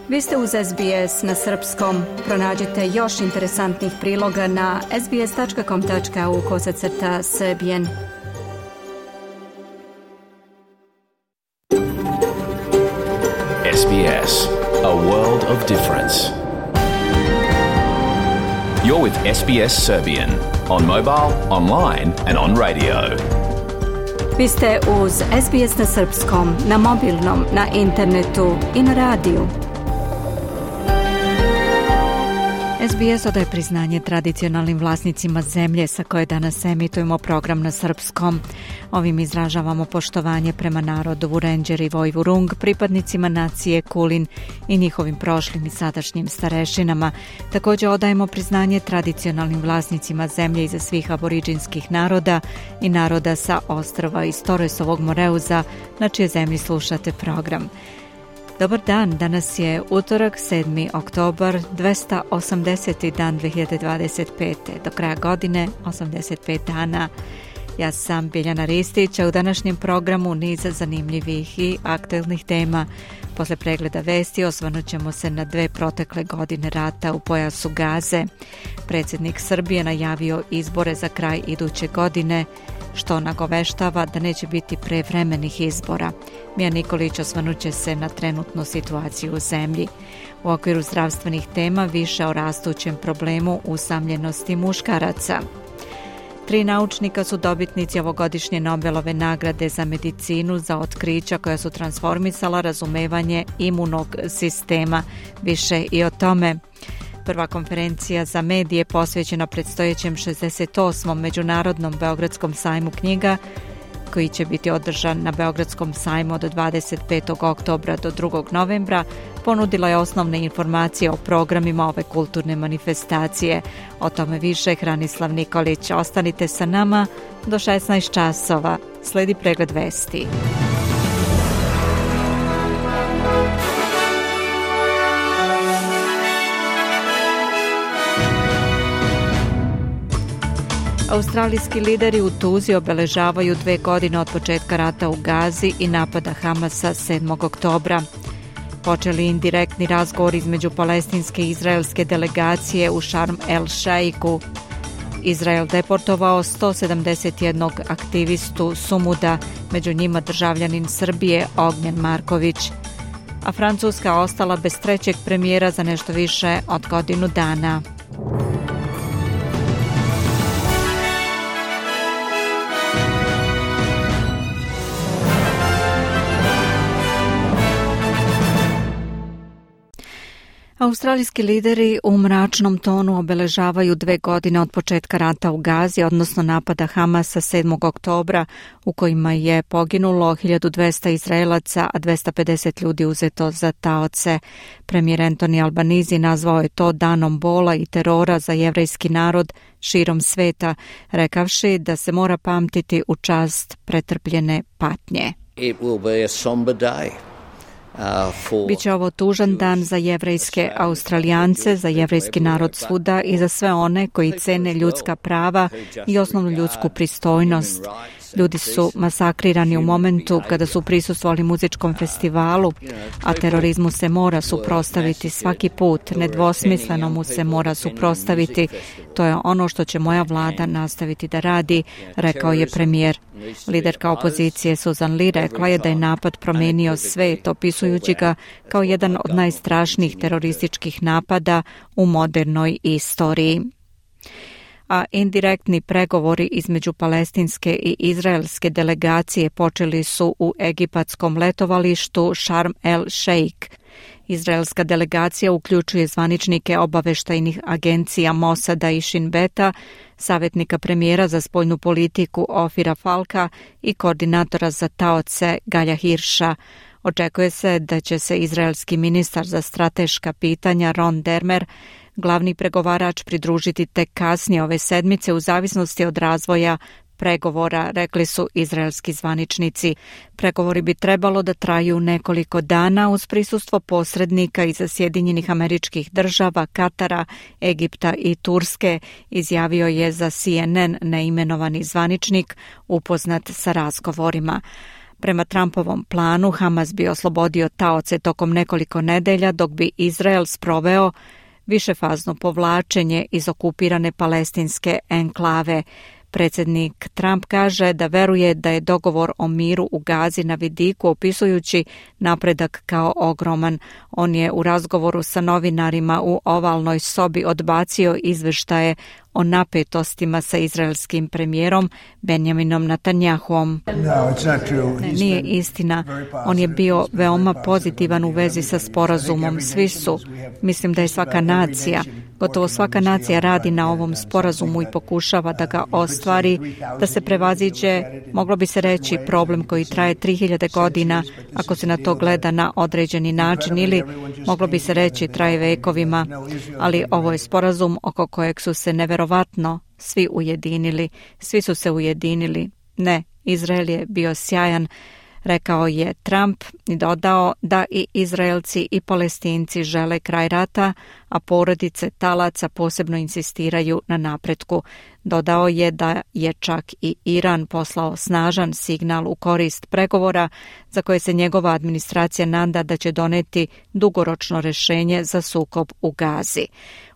Vi ste uz SBS na srpskom. Pronađite još interesantnih priloga na sbs.com.au/srbijen. SBS, a world of difference. You're with SBS Serbian on mobile, online and on radio. Vi ste uz SBS na srpskom, na mobilnom, na internetu i na radiju. SBS odaje priznanje tradicionalnim vlasnicima zemlje sa koje danas emitujemo program na srpskom. Ovim izražavamo poštovanje prema narodu Vurenđer i Vojvurung, pripadnicima nacije Kulin i njihovim prošlim i sadašnjim starešinama. Također odajemo priznanje tradicionalnim vlasnicima zemlje iza svih aboriđinskih naroda i naroda sa ostrva iz Torresovog Moreuza, na čije zemlji slušate program. Dobar dan, danas je utorak, 7. oktobar, 280. dan 2025. Do kraja godine, 85 dana. Ja sam Biljana Ristić, a u današnjem programu niz zanimljivih i aktuelnih tema. Posle pregleda vesti osvrnut ćemo se na 2 protekle godine rata u pojasu Gaze. Predsjednik Srbije najavio izbore za kraj iduće godine, što nagoveštava da neće biti prevremenih izbora. Mija Nikolić osvrnut će se na trenutnu situaciju u zemlji. U okviru zdravstvenih tema više o rastućem problemu usamljenosti muškaraca. 3 naučnika su dobitnici ovogodišnje Nobelove nagrade za medicinu za otkrića koja su transformisala razumevanje imunog sistema. Više i o tome. Prva konferencija za medije posvećena predstojećem 68. Međunarodnom Beogradskom sajmu knjiga, koji će biti održan na Beogradskom sajmu od 25. oktobra do 2. novembra, ponudila je osnovne informacije o programima ove kulturne manifestacije. O tome više Hranislav Nikolić. Ostanite sa nama do 16 časova. Sledi pregled vesti. Australijski lideri u Tuzi obeležavaju 2 godine od početka rata u Gazi i napada Hamasa 7. oktobra. Počeli indirektni razgovor između palestinske i izraelske delegacije u Sharm el Sheikhu. Izrael deportovao 171 aktivistu Sumuda, među njima državljanin Srbije Ognjen Marković. A Francuska ostala bez 3. premijera za nešto više od godinu dana. Australijski lideri u mračnom tonu obeležavaju 2 godine od početka rata u Gazi, odnosno napada Hamasa 7. oktobra, u kojima je poginulo 1200 Izraelaca, a 250 ljudi uzeto za taoce. Premijer Anthony Albanese nazvao je to danom bola i terora za jevrejski narod širom sveta, rekavši da se mora pamtiti u čast pretrpljene patnje. It will be a somber day. Biće ovo tužan dan za jevrejske Australijance, za jevrejski narod svuda i za sve one koji cene ljudska prava i osnovnu ljudsku pristojnost. Ljudi su masakrirani u momentu kada su prisustvovali muzičkom festivalu, a terorizmu se mora suprotstaviti svaki put, nedvosmisleno mu se mora suprotstaviti. To je ono što će moja vlada nastaviti da radi, rekao je premijer. Liderka opozicije Susan Lee rekla je da je napad promenio svet, opisujući ga kao jedan od najstrašnijih terorističkih napada u modernoj istoriji. A indirektni pregovori između palestinske i izraelske delegacije počeli su u egipatskom letovalištu Sharm el Sheikh. Izraelska delegacija uključuje zvaničnike obaveštajnih agencija Mosada i Shin Beta, savjetnika premijera za spoljnu politiku Ofira Falka i koordinatora za taoce Galja Hirša. Očekuje se da će se izraelski ministar za strateška pitanja Ron Dermer, glavni pregovarač, pridružiti tek kasnije ove sedmice u zavisnosti od razvoja pregovora, rekli su izraelski zvaničnici. Pregovori bi trebalo da traju nekoliko dana uz prisustvo posrednika iz Sjedinjenih Američkih Država, Katara, Egipta i Turske, izjavio je za CNN neimenovani zvaničnik upoznat sa razgovorima. Prema Trumpovom planu, Hamas bi oslobodio taoce tokom nekoliko nedelja, dok bi Izrael sproveo višefazno povlačenje iz okupirane palestinske enklave. Predsjednik Trump kaže da veruje da je dogovor o miru u Gazi na vidiku, opisujući napredak kao ogroman. On je u razgovoru sa novinarima u ovalnoj sobi odbacio izveštaje o napetostima sa izraelskim premijerom Benjaminom Netanjahuom. Nije istina. On je bio veoma pozitivan u vezi sa sporazumom. Svi su. Mislim da je svaka nacija, gotovo svaka nacija radi na ovom sporazumu i pokušava da ga ostvari, da se prevaziđe, moglo bi se reći, problem koji traje 3000 godina, ako se na to gleda na određeni način, ili moglo bi se reći traje vekovima, ali ovo je sporazum oko kojeg su se neverovatno svi ujedinili. Svi su se ujedinili. Ne, Izrael je bio sjajan, rekao je Trump i dodao da i Izraelci i Palestinci žele kraj rata, a porodice talaca posebno insistiraju na napretku. Dodao je da je čak i Iran poslao snažan signal u korist pregovora za koje se njegova administracija nada da će doneti dugoročno rješenje za sukob u Gazi.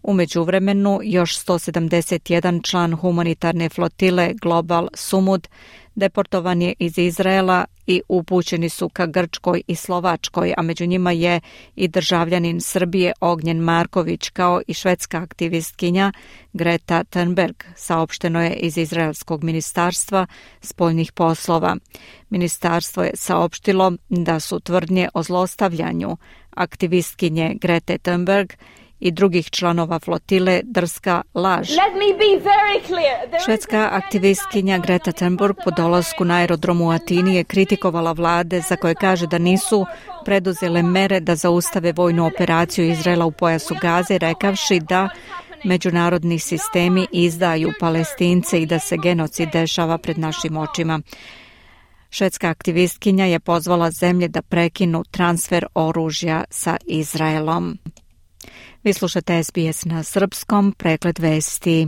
U međuvremenu još 171 član humanitarne flotile Global Sumud deportovan je iz Izraela i upućeni su ka Grčkoj i Slovačkoj, a među njima je i državljanin Srbije Ognjen Marković, kao i švedska aktivistkinja Greta Thunberg, saopšteno je iz Izraelskog ministarstva spoljnih poslova. Ministarstvo je saopštilo da su tvrdnje o zlostavljanju aktivistkinje Grete Thunberg i drugih članova flotile drska laž. Švedska aktivistkinja Greta Thunberg po dolasku na aerodromu u Atini je kritikovala vlade za koje kaže da nisu preduzele mere da zaustave vojnu operaciju Izraela u pojasu Gaze, rekavši da međunarodni sistemi izdaju Palestince i da se genocid dešava pred našim očima. Švedska aktivistkinja je pozvala zemlje da prekinu transfer oružja sa Izraelom. Vi slušate SBS na srpskom, pregled vesti.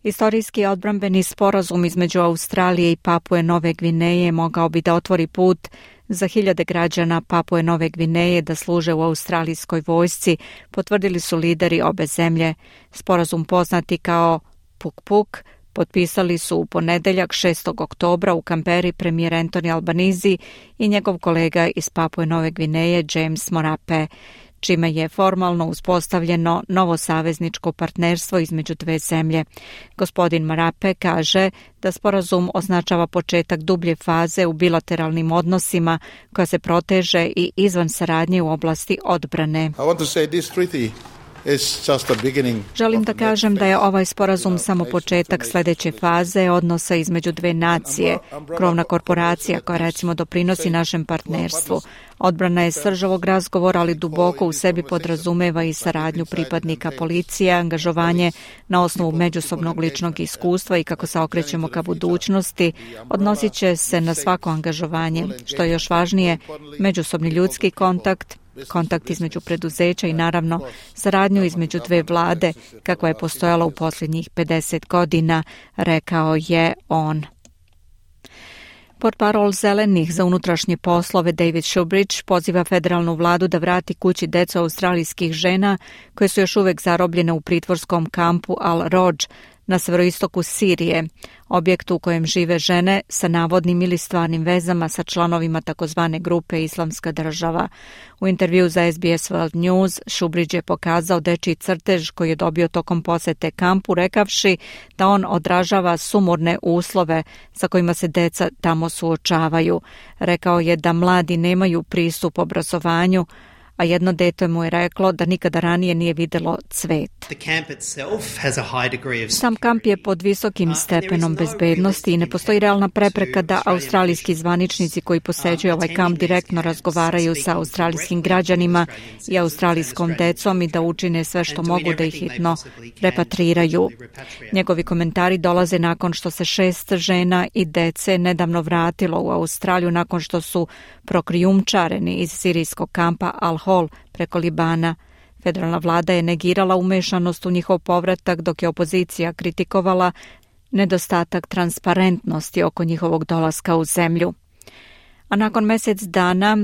Istorijski odbrambeni sporazum između Australije i Papue Nove Gvineje mogao bi da otvori put za hiljade građana Papue Nove Gvineje da služe u australijskoj vojsci, potvrdili su lideri obe zemlje. Sporazum poznati kao Puk-Puk potpisali su u ponedeljak 6. oktobra u Kamberi premijer Anthony Albanese i njegov kolega iz Papue Nove Gvineje James Marape, čime je formalno uspostavljeno novo savezničko partnerstvo između dve zemlje. Gospodin Marape kaže da sporazum označava početak dublje faze u bilateralnim odnosima koja se proteže i izvan saradnje u oblasti odbrane. Želim da kažem da je ovaj sporazum samo početak sljedeće faze odnosa između dve nacije, krovna korporacija koja recimo doprinosi našem partnerstvu. Odbrana je srž ovog razgovora, ali duboko u sebi podrazumeva i saradnju pripadnika policije, angažovanje na osnovu međusobnog ličnog iskustva i kako se okrećemo ka budućnosti, odnosit će se na svako angažovanje. Što je još važnije, međusobni ljudski kontakt između preduzeća i naravno saradnju između dve vlade kakva je postojala u posljednjih 50 godina, rekao je on. Portparol Zelenih za unutrašnje poslove David Shoebridge poziva federalnu vladu da vrati kući decu australijskih žena koje su još uvijek zarobljene u pritvorskom kampu Al-Roj na severoistoku Sirije, objektu u kojem žive žene sa navodnim ili stvarnim vezama sa članovima takozvane grupe Islamska država. U intervju za SBS World News Shoebridge je pokazao dečiji crtež koji je dobio tokom posete kampu, rekavši da on odražava sumorne uslove sa kojima se deca tamo suočavaju. Rekao je da mladi nemaju pristup obrazovanju, a jedno dete mu je reklo da nikada ranije nije vidjelo cvet. Sam kamp je pod visokim stepenom bezbednosti i ne postoji realna prepreka da australijski zvaničnici koji posećuju ovaj kamp direktno razgovaraju sa australijskim građanima i australijskom decom i da učine sve što mogu da ih hitno repatriraju. Njegovi komentari dolaze nakon što se 6 žena i dece nedavno vratilo u Australiju nakon što su prokrijumčareni iz sirijskog kampa Al-Hol preko Libana. Federalna vlada je negirala umešanost u njihov povratak, dok je opozicija kritikovala nedostatak transparentnosti oko njihovog dolaska u zemlju. A nakon mjesec dana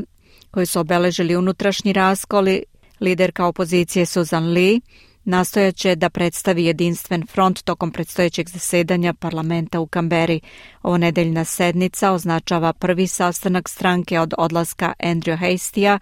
koji su obeležili unutrašnji raskoli, liderka opozicije Susan Lee nastojaće da predstavi jedinstven front tokom predstojećeg zasjedanja parlamenta u Kamberi. Ovo nedeljna sednica označava prvi sastanak stranke od odlaska Andrew Hastieja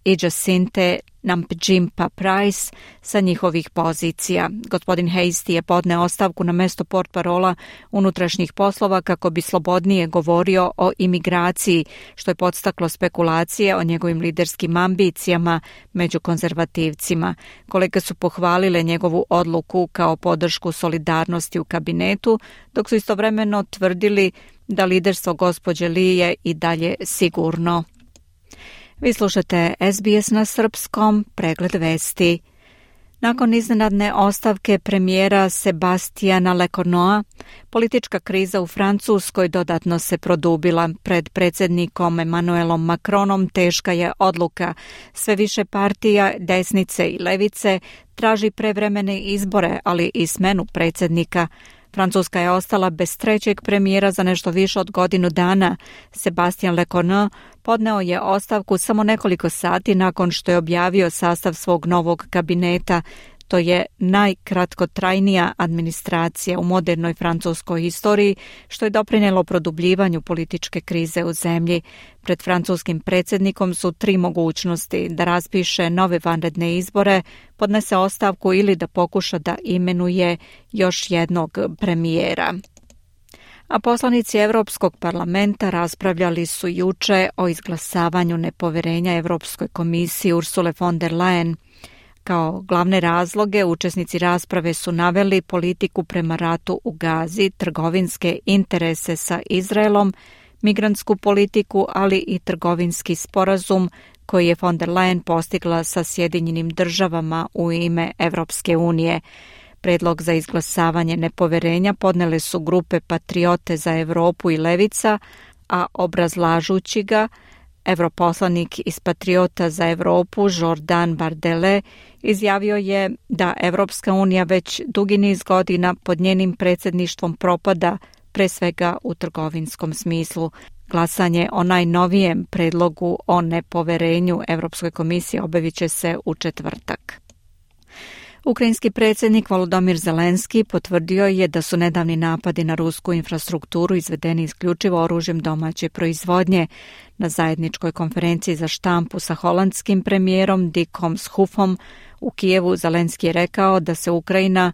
i Jacinthe Nampijimpa Price sa njihovih pozicija. Gospodin Hastie je podneo ostavku na mesto portparola unutrašnjih poslova kako bi slobodnije govorio o imigraciji, što je podstaklo spekulacije o njegovim liderskim ambicijama među konzervativcima. Kolege su pohvalile njegovu odluku kao podršku solidarnosti u kabinetu, dok su istovremeno tvrdili da liderstvo gospođe Lee je i dalje sigurno. Vi slušate SBS na srpskom, pregled vesti. Nakon iznenadne ostavke premijera Sebastiana Lecornua, politička kriza u Francuskoj dodatno se produbila. Pred predsjednikom Emmanuelom Macronom teška je odluka. Sve više partija, desnice i levice, traži prevremene izbore, ali i smenu predsjednika. Francuska je ostala bez trećeg premijera za nešto više od godinu dana. Sebastian Lecornu podneo je ostavku samo nekoliko sati nakon što je objavio sastav svog novog kabineta. To je najkratkotrajnija administracija u modernoj francuskoj historiji, što je doprinijelo produbljivanju političke krize u zemlji. Pred francuskim predsjednikom su 3 mogućnosti: da raspiše nove vanredne izbore, podnese ostavku ili da pokuša da imenuje još jednog premijera. A poslanici Europskog parlamenta raspravljali su juče o izglasavanju nepoverenja Europskoj komisiji Ursule von der Leyen. Kao glavne razloge učesnici rasprave su naveli politiku prema ratu u Gazi, trgovinske interese sa Izraelom, migrantsku politiku, ali i trgovinski sporazum koji je von der Leyen postigla sa Sjedinjenim državama u ime Evropske unije. Predlog za izglasavanje nepoverenja podnele su grupe Patriote za Europu i Levica, a obrazlažući ga, europoslanik iz Patriota za Europu Jordan Bardella izjavio je da Evropska unija već dugi niz godina pod njenim predsjedništvom propada, pre svega u trgovinskom smislu. Glasanje o najnovijem predlogu o nepoverenju Evropskoj komisiji obavit će se u četvrtak. Ukrajinski predsjednik Volodymyr Zelenski potvrdio je da su nedavni napadi na rusku infrastrukturu izvedeni isključivo oružjem domaće proizvodnje. Na zajedničkoj konferenciji za štampu sa holandskim premijerom Dickom Schooffom u Kijevu Zelenski je rekao da se Ukrajina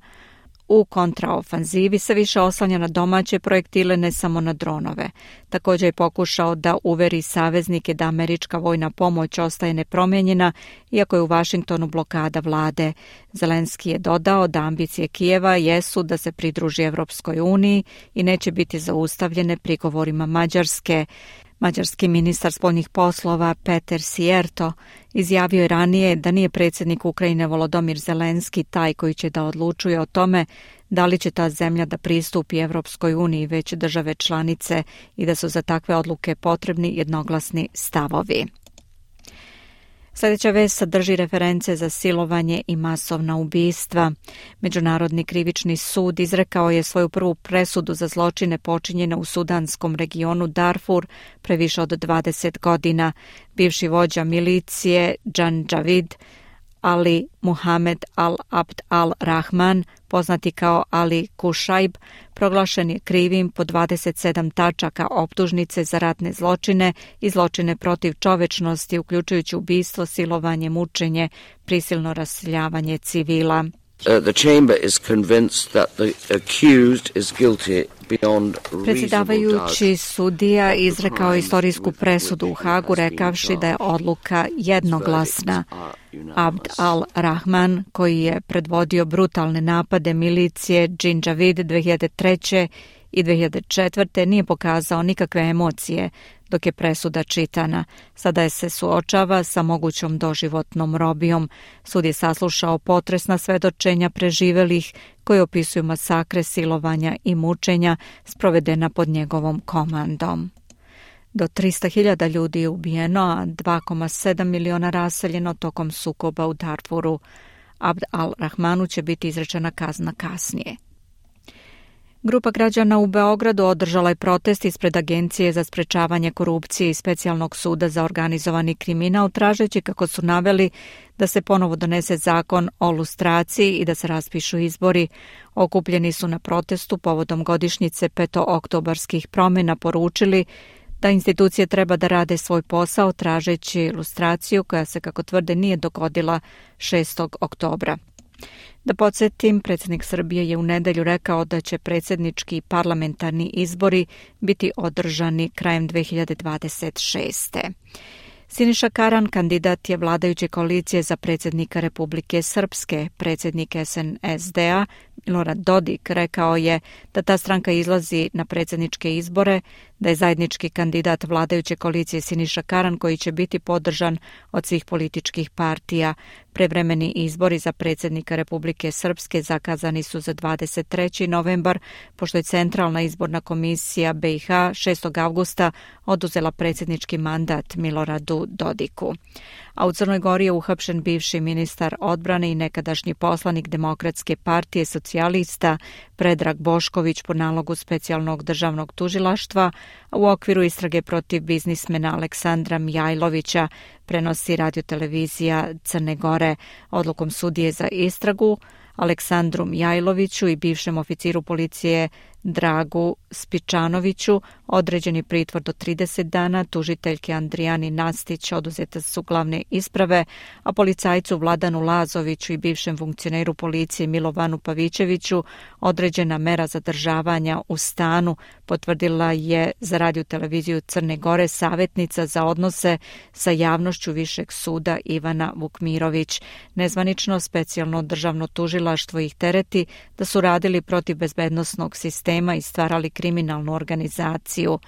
u kontraofanzivi se više oslanja na domaće projektile, ne samo na dronove. Također je pokušao da uveri saveznike da američka vojna pomoć ostaje nepromijenjena, iako je u Vašingtonu blokada vlade. Zelenski je dodao da ambicije Kijeva jesu da se pridruži Evropskoj uniji i neće biti zaustavljene prigovorima Mađarske. Mađarski ministar spoljnih poslova Peter Sierto izjavio je ranije da nije predsjednik Ukrajine Volodymyr Zelenski taj koji će da odlučuje o tome da li će ta zemlja da pristupi Evropskoj uniji, već države članice, i da su za takve odluke potrebni jednoglasni stavovi. Sljedeća vest sadrži reference za silovanje i masovna ubistva. Međunarodni krivični sud izrekao je svoju prvu presudu za zločine počinjene u sudanskom regionu Darfur pre više od 20 godina. Bivši vođa milicije Janjavid Ali Muhammad al-Abd al-Rahman, poznati kao Ali Kušajb, proglašen je krivim po 27 tačaka optužnice za ratne zločine i zločine protiv čovečnosti, uključujući ubistvo, silovanje, mučenje, prisilno raseljavanje civila. The chamber is convinced that the accused is guilty beyond reasonable doubt. Predsjedavajući sudija izrekao istorijsku presudu u Hagu, rekavši da je odluka jednoglasna. Abd al-Rahman, koji je predvodio brutalne napade milicije Džinđavid 2003. i 2004. nije pokazao nikakve emocije dok je presuda čitana. Sada je se suočava sa mogućom doživotnom robijom. Sud je saslušao potresna svedočenja preživelih koji opisuju masakre, silovanja i mučenja sprovedena pod njegovom komandom. Do 300.000 ljudi je ubijeno, a 2,7 miliona raseljeno tokom sukoba u Darfuru. Abd al-Rahmanu će biti izrečena kazna kasnije. Grupa građana u Beogradu održala je protest ispred Agencije za sprečavanje korupcije i Specijalnog suda za organizovani kriminal, tražeći, kako su naveli, da se ponovo donese zakon o lustraciji i da se raspišu izbori. Okupljeni su na protestu povodom godišnjice petooktobarskih promjena poručili da institucije treba da rade svoj posao tražeći lustraciju koja se, kako tvrde, nije dogodila 6. oktobra. Da podsjetim, predsjednik Srbije je u nedelju rekao da će predsjednički i parlamentarni izbori biti održani krajem 2026. Siniša Karan kandidat je vladajuće koalicije za predsjednika Republike Srpske. Predsjednik SNSD-a Milorad Dodik rekao je da ta stranka izlazi na predsjedničke izbore, da je zajednički kandidat vladajuće koalicije Siniša Karan koji će biti podržan od svih političkih partija. Prevremeni izbori za predsjednika Republike Srpske zakazani su za 23. novembar, pošto je Centralna izborna komisija BiH 6. avgusta oduzela predsjednički mandat Miloradu Dodiku. A u Crnoj Gori je uhapšen bivši ministar odbrane i nekadašnji poslanik Demokratske partije socijalista Predrag Bošković po nalogu specijalnog državnog tužilaštva u okviru istrage protiv biznismena Aleksandra Mijajlovića, prenosi radiotelevizija Crne Gore. Odlukom sudije za istragu Aleksandru Mijajloviću i bivšem oficiru policije Dragu Spičanoviću određeni pritvor do 30 dana, tužiteljke Andrijani Nastić oduzete su glavne isprave, a policajcu Vladanu Lazoviću i bivšem funkcioneru policije Milovanu Pavićeviću određena mera zadržavanja u stanu, potvrdila je za radioteleviziju Crne Gore savjetnica za odnose sa javnošću Višeg suda Ivana Vukmirović. Nezvanično specijalno državno tužilaštvo ih tereti da su radili protiv bezbednosnog sistema i stvarali kriminalnu organizaciju.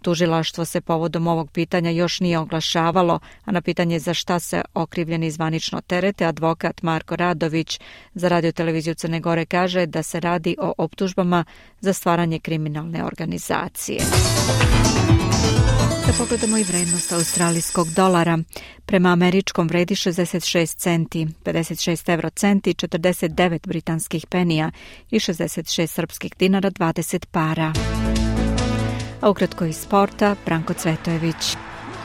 Tužilaštvo se povodom ovog pitanja još nije oglašavalo, a na pitanje za šta se okrivljeni zvanično terete, advokat Marko Radović za radioteleviziju Crne Gore kaže da se radi o optužbama za stvaranje kriminalne organizacije. Da pogledamo i vrednost australijskog dolara. Prema američkom vredi 66 centi, 56 eurocenti, 49 britanskih penija i 66 srpskih dinara 20 para. A ukratko iz sporta, Branko Cvetojević.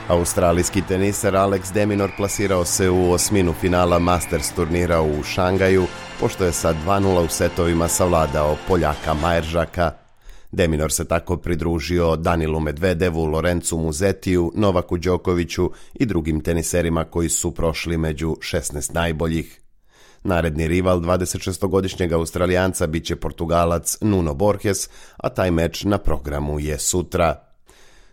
Australijski teniser Alex de Minaur plasirao se u osminu finala Masters turnira u Šangaju, pošto je sa 2:0 u setovima savladao Poljaka Majeržaka. De Minaur se tako pridružio Danilu Medvedevu, Lorencu Muzetiju, Novaku Đokoviću i drugim teniserima koji su prošli među 16 najboljih. Naredni rival 26-godišnjeg Australijanca biće Portugalac Nuno Borges, a taj meč na programu je sutra.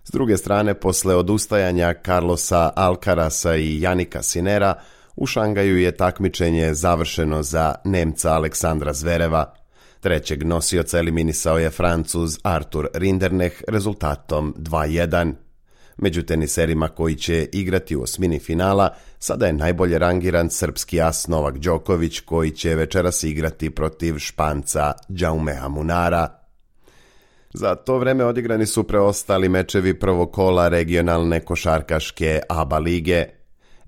S druge strane, posle odustajanja Carlosa Alcarasa i Janika Sinera, u Šangaju je takmičenje završeno za Nemca Aleksandra Zvereva. Trećeg nosioca eliminisao je Francuz Artur Rinderknech rezultatom 2:1. Među teniserima koji će igrati u osmini finala sada je najbolje rangiran srpski as Novak Đoković koji će večeras igrati protiv Španca Jaumea Munara. Za to vreme odigrani su preostali mečevi prvog kola regionalne košarkaške ABA lige.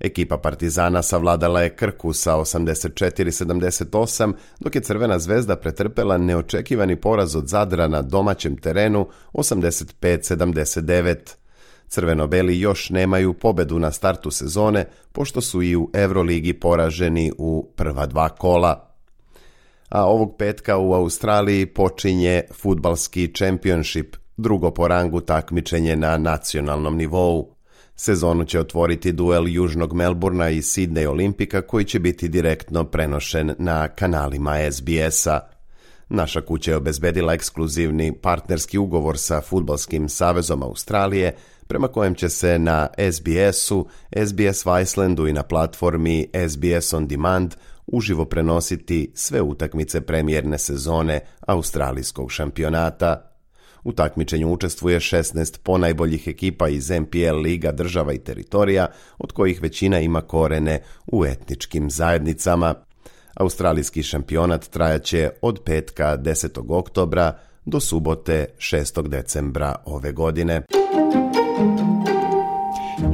Ekipa Partizana savladala je Krku sa 84-78, dok je Crvena zvezda pretrpela neočekivani poraz od Zadra na domaćem terenu 85-79. Crveno-beli još nemaju pobedu na startu sezone, pošto su i u Euroligi poraženi u prva dva kola. A ovog petka u Australiji počinje fudbalski championship, drugo po rangu takmičenje na nacionalnom nivou. Sezonu će otvoriti duel Južnog Melburna i Sydney Olimpika koji će biti direktno prenošen na kanalima SBS-a. Naša kuća je obezbedila ekskluzivni partnerski ugovor sa Fudbalskim savezom Australije, prema kojem će se na SBS-u, SBS Vicelandu i na platformi SBS On Demand uživo prenositi sve utakmice premijerne sezone australijskog šampionata. U takmičenju učestvuje 16 ponajboljih ekipa iz NPL liga država i teritorija, od kojih većina ima korene u etničkim zajednicama. Australijski šampionat trajaće od petka 10. oktobra do subote 6. decembra ove godine.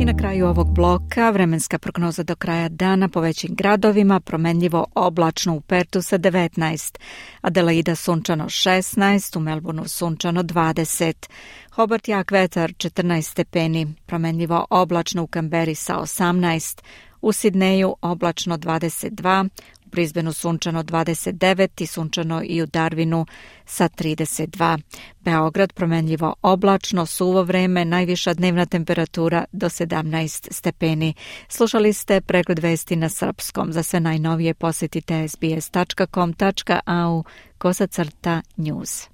I na kraju ovog bloka vremenska prognoza do kraja dana po većim gradovima, promenljivo oblačno u Pertu sa 19, Adelaida sunčano 16, u Melbourneu sunčano 20, Hobart jak vetar 14 stepeni, promenljivo oblačno u Kamberi sa 18, u Sidneju oblačno 22, u Brisbaneu sunčano 29 i sunčano i u Darwinu sa 32. Beograd promenljivo oblačno, suvo vreme, najviša dnevna temperatura do 17 stepeni. Slušali ste pregled vesti na srpskom. Za sve najnovije posjetite sbs.com.au/news.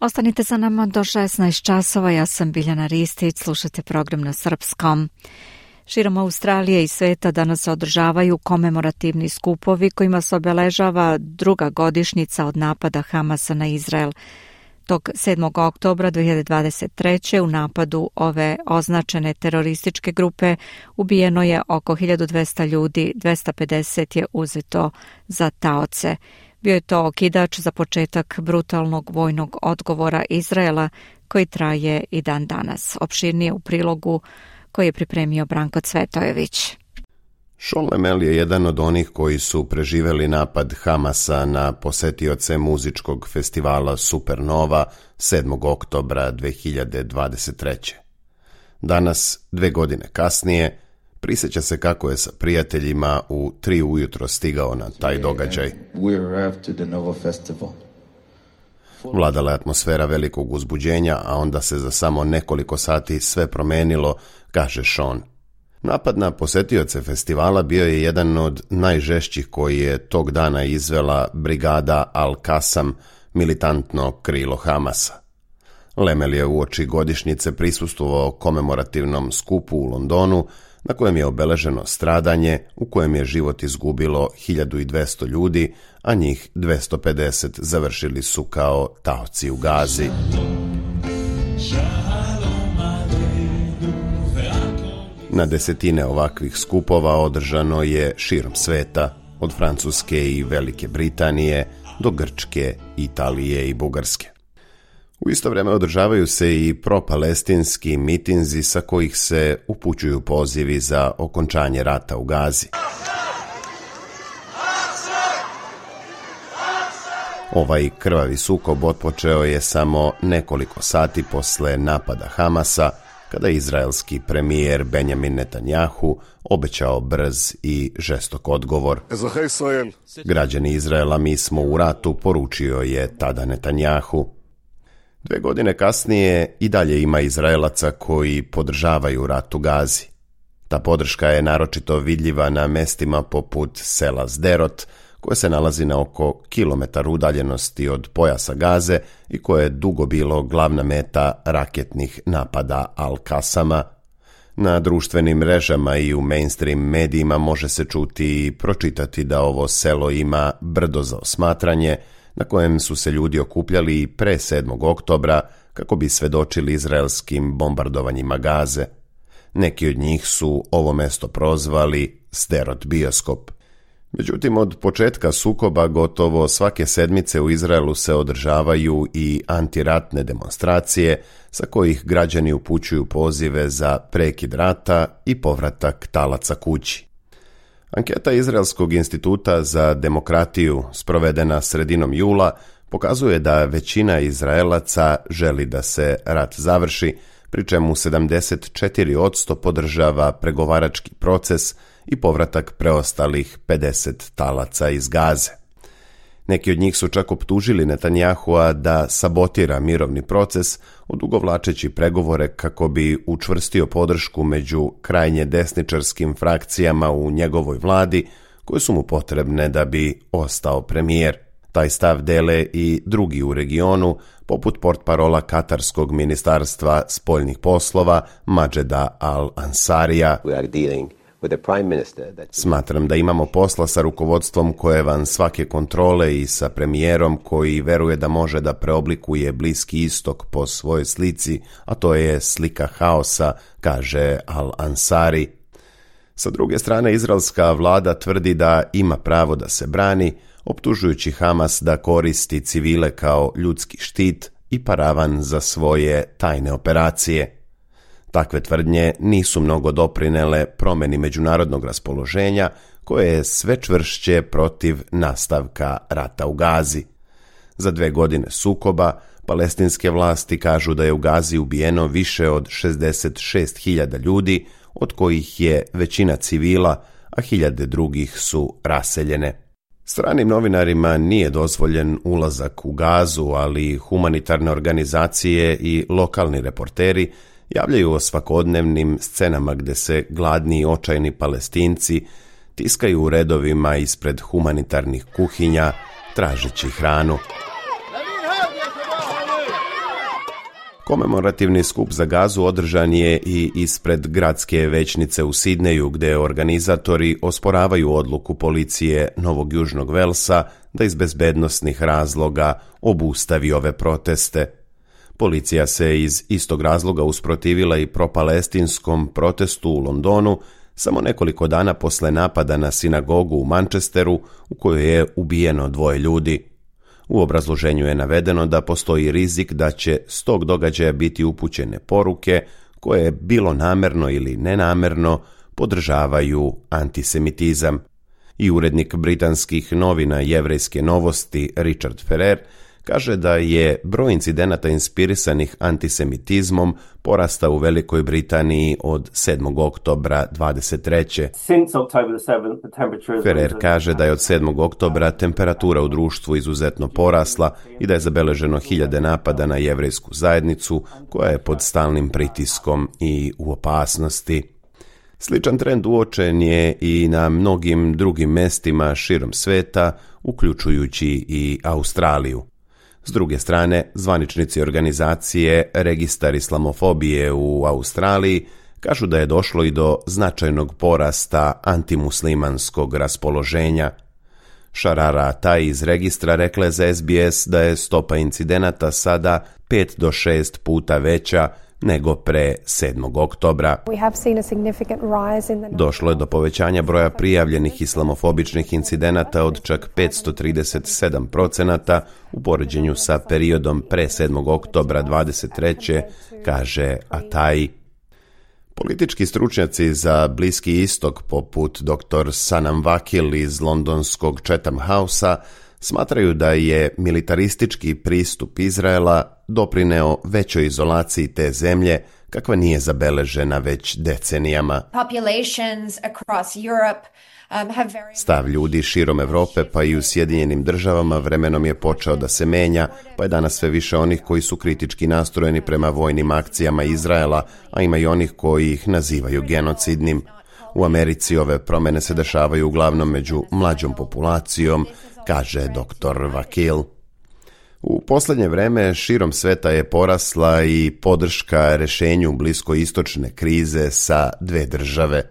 Ostanite sa nama do 16 časova, ja sam Biljana Ristić, slušate program na srpskom. Širom Australije i sveta danas se održavaju komemorativni skupovi kojima se obeležava druga godišnjica od napada Hamasa na Izrael. Tog 7. oktobra 2023. u napadu ove označene terorističke grupe ubijeno je oko 1200 ljudi, 250 je uzeto za taoce. Bio je to okidač za početak brutalnog vojnog odgovora Izraela koji traje i dan danas. Opširnije u prilogu koji je pripremio Branko Cvetojević. Sean Lemel je jedan od onih koji su preživeli napad Hamasa na posetioce muzičkog festivala Supernova 7. oktobra 2023. Danas, 2 godine kasnije, prisjeća se kako je sa prijateljima u 3 ujutro stigao na taj događaj. Vladala je atmosfera velikog uzbuđenja, a onda se za samo nekoliko sati sve promenilo, kaže Sean. Napad na posetioce festivala bio je jedan od najžešćih koji je tog dana izvela brigada Al-Qassam, militantno krilo Hamasa. Lemel je uoči godišnjice prisustvovao komemorativnom skupu u Londonu, na kojem je obeleženo stradanje u kojem je život izgubilo 1200 ljudi, a njih 250 završili su kao taoci u Gazi. Na desetine ovakvih skupova održano je širom sveta, od Francuske i Velike Britanije do Grčke, Italije i Bugarske. U isto vrijeme održavaju se i propalestinski mitinzi sa kojih se upućuju pozivi za okončanje rata u Gazi. Ovaj krvavi sukob otpočeo je samo nekoliko sati posle napada Hamasa, kada je izraelski premijer Benjamin Netanjahu obećao brz i žestok odgovor. Građani Izraela, mi smo u ratu, poručio je tada Netanjahu. 2 godine kasnije i dalje ima Izraelaca koji podržavaju rat u Gazi. Ta podrška je naročito vidljiva na mestima poput sela Sderot, koje se nalazi na oko kilometar udaljenosti od pojasa Gaze i koje je dugo bilo glavna meta raketnih napada Al-Qassama. Na društvenim mrežama i u mainstream medijima može se čuti i pročitati da ovo selo ima brdo za osmatranje, na kojem su se ljudi okupljali pre 7. oktobra kako bi svedočili izraelskim bombardovanjima Gaze. Neki od njih su ovo mesto prozvali Sderot bioskop. Međutim, od početka sukoba gotovo svake sedmice u Izraelu se održavaju i antiratne demonstracije sa kojih građani upućuju pozive za prekid rata i povratak talaca kući. Anketa Izraelskog instituta za demokratiju, sprovedena sredinom jula, pokazuje da većina Izraelaca želi da se rat završi, pri čemu 74% podržava pregovarački proces i povratak preostalih 50 talaca iz Gaze. Neki od njih su čak optužili Netanjahua da sabotira mirovni proces, odugovlačeći pregovore kako bi učvrstio podršku među krajnje desničarskim frakcijama u njegovoj vladi, koje su mu potrebne da bi ostao premijer. Taj stav dele i drugi u regionu, poput portparola Katarskog ministarstva spoljnih poslova Mađeda Al-Ansarija. Smatram da imamo posla sa rukovodstvom koje je van svake kontrole i sa premijerom koji veruje da može da preoblikuje Bliski istok po svojoj slici, a to je slika haosa, kaže Al-Ansari. Sa druge strane, izraelska vlada tvrdi da ima pravo da se brani, optužujući Hamas da koristi civile kao ljudski štit i paravan za svoje tajne operacije. Takve tvrdnje nisu mnogo doprinele promjeni međunarodnog raspoloženja koje je sve čvršće protiv nastavka rata u Gazi. Za 2 godine sukoba, palestinske vlasti kažu da je u Gazi ubijeno više od 66.000 ljudi, od kojih je većina civila, a hiljade drugih su raseljene. Stranim novinarima nije dozvoljen ulazak u Gazu, ali humanitarne organizacije i lokalni reporteri javljaju o svakodnevnim scenama gdje se gladni i očajni Palestinci tiskaju u redovima ispred humanitarnih kuhinja, tražeći hranu. Komemorativni skup za Gazu održan je i ispred gradske većnice u Sidneju, gdje organizatori osporavaju odluku policije Novog Južnog Velsa da iz bezbednosnih razloga obustavi ove proteste. Policija se iz istog razloga usprotivila i propalestinskom protestu u Londonu samo nekoliko dana posle napada na sinagogu u Manchesteru u kojoj je ubijeno 2 ljudi. U obrazloženju je navedeno da postoji rizik da će s tog događaja biti upućene poruke koje bilo namerno ili nenamerno podržavaju antisemitizam. I urednik britanskih novina Jevrejske novosti Richard Ferrer kaže da je broj incidenata inspirisanih antisemitizmom porastao u Velikoj Britaniji od 7. oktobra 23. Ferrer kaže da je od 7. oktobra temperatura u društvu izuzetno porasla i da je zabeleženo 1000 napada na jevrejsku zajednicu koja je pod stalnim pritiskom i u opasnosti. Sličan trend uočen je i na mnogim drugim mestima širom sveta, uključujući i Australiju. S druge strane, zvaničnici organizacije Registar islamofobije u Australiji kažu da je došlo i do značajnog porasta antimuslimanskog raspoloženja. Sharara Atai iz registra rekla je za SBS da je stopa incidenata sada 5 do 6 puta veća nego pre 7. oktobra. Došlo je do povećanja broja prijavljenih islamofobičnih incidenata od čak 537% u poređenju sa periodom pre 7. oktobra 23. kaže Atai. Politički stručnjaci za Bliski istok poput dr. Sanam Vakil iz londonskog Chatham Housea smatraju da je militaristički pristup Izraela doprineo većoj izolaciji te zemlje kakva nije zabeležena već decenijama. Stav ljudi širom Europe pa i u Sjedinjenim državama vremenom je počeo da se menja, pa je danas sve više onih koji su kritički nastrojeni prema vojnim akcijama Izraela, a ima i onih koji ih nazivaju genocidnim. U Americi ove promjene se dešavaju uglavnom među mlađom populacijom, kaže dr. Vakil. U posljednje vreme širom sveta je porasla i podrška rješenju bliskoistočne krize sa 2 države.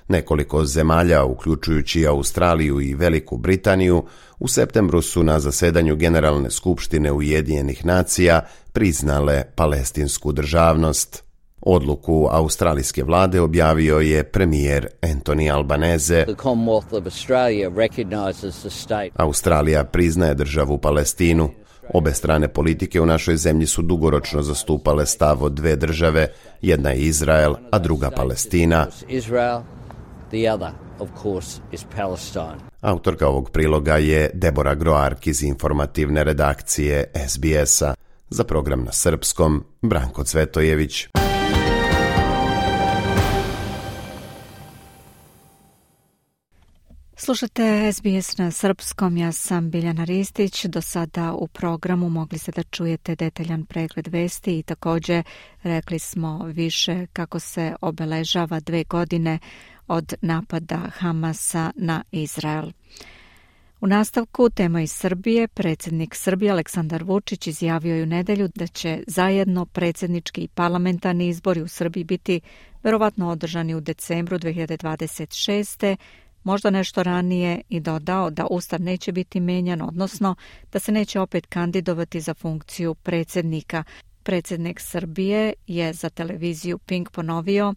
Nekoliko zemalja, uključujući Australiju i Veliku Britaniju, u septembru su na zasedanju Generalne skupštine Ujedinjenih nacija priznale palestinsku državnost. Odluku australijske vlade objavio je premijer Anthony Albanese. Australija priznaje državu Palestinu. Obe strane politike u našoj zemlji su dugoročno zastupale stav od 2 države, jedna je Izrael, a druga Palestina. Autorka ovog priloga je Debora Groark iz informativne redakcije SBS-a. Za program na srpskom, Branko Cvetojević. Slušate SBS na srpskom, ja sam Biljana Ristić. Do sada u programu mogli ste da čujete detaljan pregled vesti i također rekli smo više kako se obeležava 2 godine od napada Hamasa na Izrael. U nastavku tema iz Srbije, predsjednik Srbije Aleksandar Vučić izjavio je u nedjelju da će zajedno predsjednički i parlamentarni izbori u Srbiji biti verovatno održani u decembru 2026. Možda nešto ranije, i dodao da Ustav neće biti mijenjan, odnosno da se neće opet kandidovati za funkciju predsjednika. Predsjednik Srbije je za televiziju Pink ponovio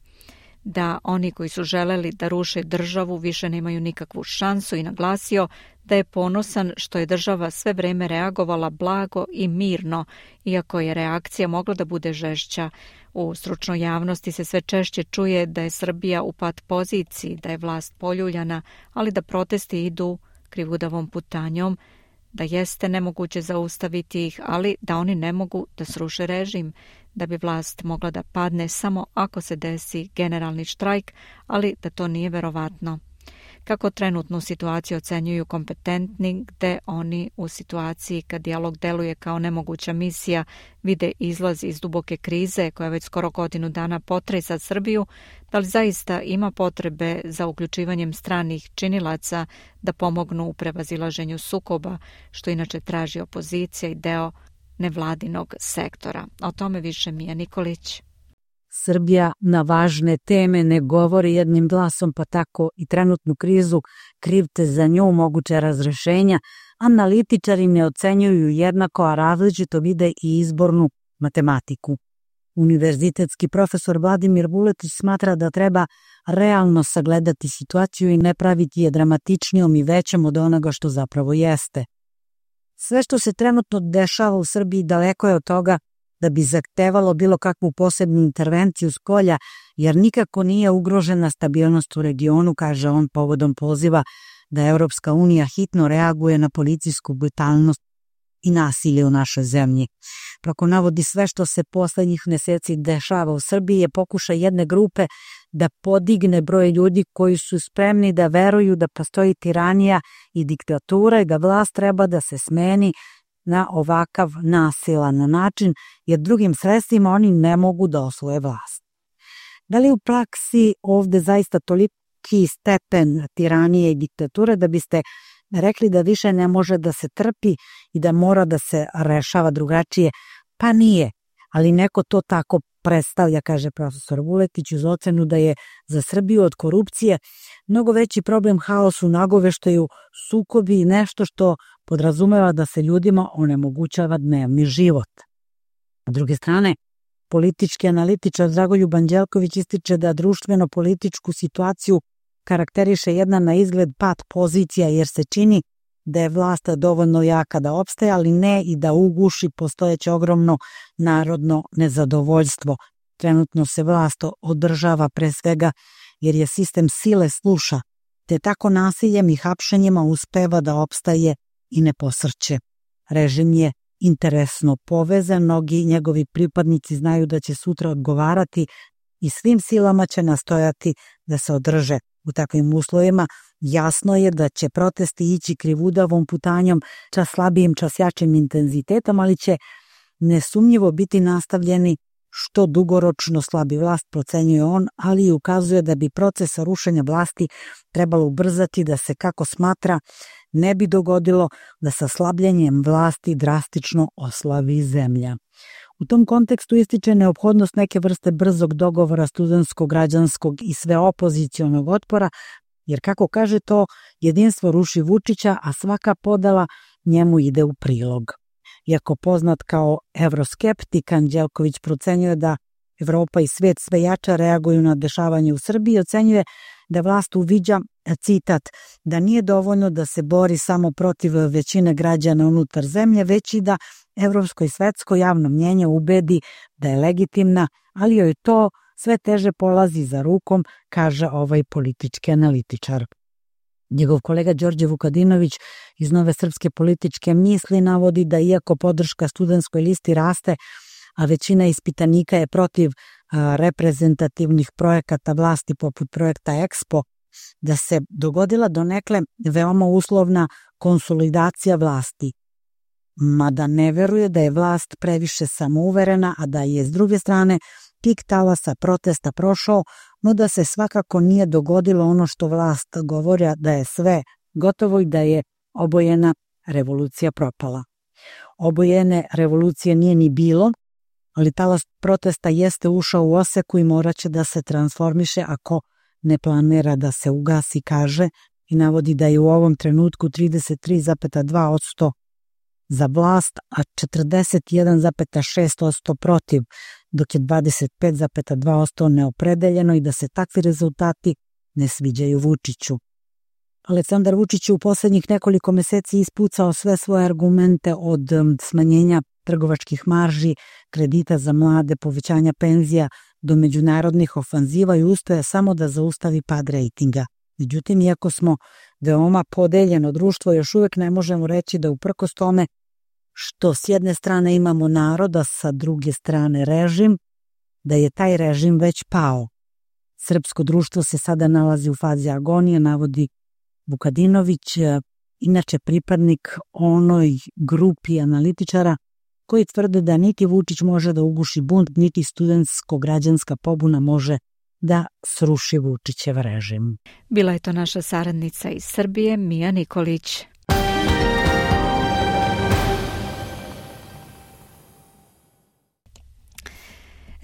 da oni koji su želeli da ruše državu više nemaju nikakvu šansu i naglasio da je ponosan što je država sve vreme reagovala blago i mirno, iako je reakcija mogla da bude žešća. U stručnoj javnosti se sve češće čuje da je Srbija u pat poziciji, da je vlast poljuljana, ali da protesti idu krivudavom putanjom, da jeste nemoguće zaustaviti ih, ali da oni ne mogu da sruše režim, da bi vlast mogla da padne samo ako se desi generalni štrajk, ali da to nije verovatno. Kako trenutnu situaciju ocenjuju kompetentni, gde oni u situaciji kad dijalog deluje kao nemoguća misija vide izlaz iz duboke krize koja već skoro godinu dana potresa Srbiju, da li zaista ima potrebe za uključivanjem stranih činilaca da pomognu u prevazilaženju sukoba, što inače traži opozicija i deo nevladinog sektora. O tome više Mija Nikolić. Srbija na važne teme ne govori jednim glasom, pa tako i trenutnu krizu, krivte za nju, moguće razrešenja, analitičari ne ocenjuju jednako, a različito vide i izbornu matematiku. Univerzitetski profesor Vladimir Vuletić smatra da treba realno sagledati situaciju i ne praviti je dramatičnijom i većom od onoga što zapravo jeste. Sve što se trenutno dešava u Srbiji daleko je od toga da bi zahtevalo bilo kakvu posebnu intervenciju spolja, jer nikako nije ugrožena stabilnost u regionu, kaže on povodom poziva da Europska unija hitno reaguje na policijsku brutalnost i nasilje u našoj zemlji. Kako navodi, sve što se poslednjih meseci dešava u Srbiji je pokušaj jedne grupe da podigne broj ljudi koji su spremni da veruju da postoji tiranija i diktatura i da vlast treba da se smeni na ovakav nasilan način, jer drugim sredstvima oni ne mogu da osvoje vlast. Da li u praksi ovde zaista toliki stepen tiranije i diktature da biste rekli da više ne može da se trpi i da mora da se rešava drugačije? Pa nije, ali neko to tako predstavlja, kaže profesor Vuletić, uz ocenu da je za Srbiju od korupcije mnogo veći problem haos u nagoveštaju, sukobi i nešto što podrazumeva da se ljudima onemogućava dnevni život. S druge strane, politički analitičar Dragoljub Anđelković ističe da društveno-političku situaciju karakteriše jedna na izgled pat pozicija, jer se čini da je vlast dovoljno jaka da opstaje, ali ne i da uguši postojeće ogromno narodno nezadovoljstvo. Trenutno se vlast održava pre svega jer je sistem sile sluša, te tako nasiljem i hapšenjima uspeva da opstaje i ne posrće. Režim je interesno povezan, mnogi njegovi pripadnici znaju da će sutra odgovarati i svim silama će nastojati da se održe. U takvim uslovima jasno je da će protesti ići krivudavom putanjom, čas slabijim, čas jačim intenzitetom, ali će nesumnjivo biti nastavljeni što dugoročno slabi vlast, procenjuje on, ali i ukazuje da bi proces rušenja vlasti trebalo ubrzati da se, kako smatra, ne bi dogodilo da sa slabljenjem vlasti drastično oslabi zemlja. U tom kontekstu ističe neophodnost neke vrste brzog dogovora studentskog, građanskog i sveopozicionog otpora, jer kako kaže to, jedinstvo ruši Vučića, a svaka podela njemu ide u prilog. Iako poznat kao evroskeptik, Anđelković procenjuje da Evropa i svet sve jače reaguju na dešavanje u Srbiji, ocenjuje da vlast uviđa, citat, da nije dovoljno da se bori samo protiv većine građana unutar zemlje, već i da evropsko i svetsko javno mnjenje ubedi da je legitimna, ali joj to sve teže polazi za rukom, kaže ovaj politički analitičar. Njegov kolega Đorđe Vukadinović iz Nove srpske političke misli navodi da iako podrška studentskoj listi raste, a većina ispitanika je protiv reprezentativnih projekata vlasti poput projekta EXPO, da se dogodila donekle veoma uslovna konsolidacija vlasti, mada ne veruje da je vlast previše samouverena, a da je s druge strane pik talasa protesta prošao, no da se svakako nije dogodilo ono što vlast govori, da je sve gotovo i da je obojena revolucija propala. Obojene revolucije nije ni bilo, ali talas protesta jeste ušao u oseku i moraće da se transformiše ako ne planira da se ugasi, kaže, i navodi da je u ovom trenutku 33,2% za vlast, a 41,6% protiv, dok je 25,2% neopredeljeno i da se takvi rezultati ne sviđaju Vučiću. Aleksandar Vučić je u poslednjih nekoliko meseci ispucao sve svoje argumente od smanjenja trgovačkih marži, kredita za mlade, povećanja penzija do međunarodnih ofanziva i uspeja samo da zaustavi pad rejtinga. Međutim, iako smo veoma podeljeno društvo, još uvek ne možemo reći da uprkos tome što s jedne strane imamo naroda, sa druge strane režim, da je taj režim već pao. Srpsko društvo se sada nalazi u fazi agonije, navodi Vukadinović, inače pripadnik onoj grupi analitičara koji tvrde da niti Vučić može da uguši bunt, niti studentsko-građanska pobuna može da sruši Vučićev režim. Bila je to naša saradnica iz Srbije, Mija Nikolić.